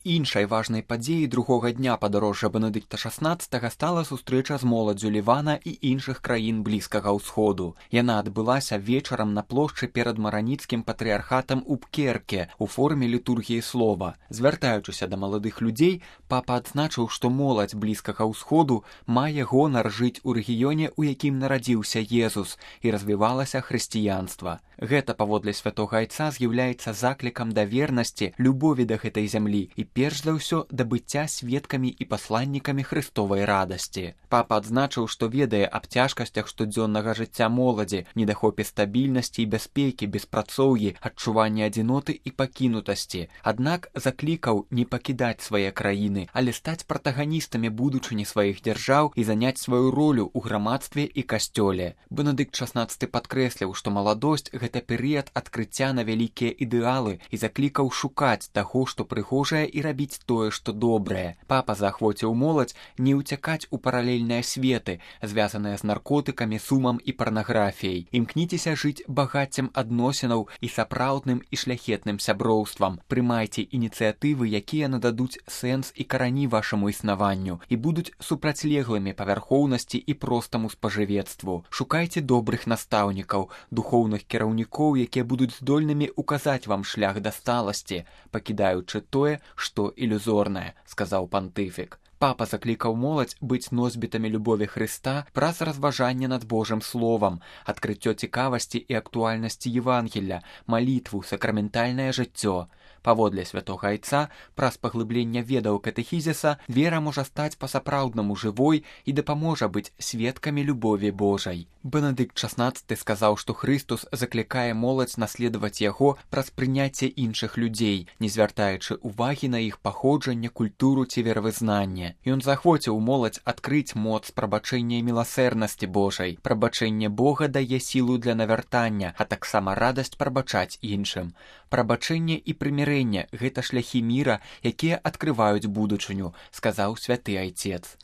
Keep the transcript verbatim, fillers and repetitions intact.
Іншай важнай падзеяй другога дня падарожжа Бенедыкта шаснаццатага стала сустрэча з моладдзю Лівана і іншых краін Блізкага ўсходу. Яна адбылася вечарам на плошчы перад мараніцкім патрыархатам у Пкерке у форме літургіі слова. Звяртаючыся да маладых людзей, папа адзначыў, што моладзь Блізкага ўсходу мае гонар жыць у рэгіёне, у якім нарадзіўся Езус, і развівалася хрысціянства. Гэта, паводле святога айца, з'яўляецца заклікам да вернасці, любові да гэтай зямлі і перш за ўсё да быцця сведкамі і пасланнікамі Христовай радасці. Папа адзначыў, што ведае аб цяжкасцях штодзённага жыцця моладзі, недахопе стабільнасці і бяспекі, беспрацоўі, адчуванні адзіноты і пакінутасці. Аднак заклікаў не пакідаць свае краіны, але стаць пратаганістамі будучыні сваіх дзяржаў і заняць сваю ролю ў грамадстве і касцёле. Бенедыкт шаснаццаты падкрэсліў, што маладосць – гэта перыяд адкрыцця на вялікія ідэалы і заклікаў шукаць таго, што прыгожае, і рабіць тое, што добрае. Папа заахвоціў моладзь не ўцякаць у паралельныя светы, звязаныя з наркотыкамі, сумам і парнаграфіяй. Імкніцеся жыць багаццем адносінаў і сапраўдным і шляхетным сяброўствам. Прымайце ініцыятывы, якія нададуць сэнс і карані вашаму існаванню і будуць супрацьлеглымі павярхоўнасці і простаму спажывецтву. Шукайце добрых настаўнікаў, духоўных кіраўнікоў, якія будуць здольнымі указаць вам шлях да сталасці, пакідаючы тое, што ілюзорнае, сказаў пантыфік. Папа заклікаў моладзь быць носьбітамі любові Хрыста праз разважанне над Божым словам, адкрыццё цікавасці і актуальнасці Евангелля, малітву, сакраментальнае жыццё. Паводле святога айца, праз паглыбленне ведаў катэхізіса, вера можа стаць па-сапраўднаму жывой і дапаможа быць сведкамі любові Божай. Бенедыкт шаснаццаты сказаў, што Хрыстус заклікае моладзь наследаваць яго праз прыняцце іншых людзей, не звяртаючы ўвагі на іх паходжанне, культуру ці веравызнанне. Ён заахвоціў моладзь адкрыць моц прабачэння і міласэрнасці Божай. Прабачэнне Бога дае сілу для навяртання, а таксама радасць прабачаць іншым. Прабачэнне і прымірэнне – гэта шляхі міра, якія адкрываюць будучыню, сказаў святы айцец.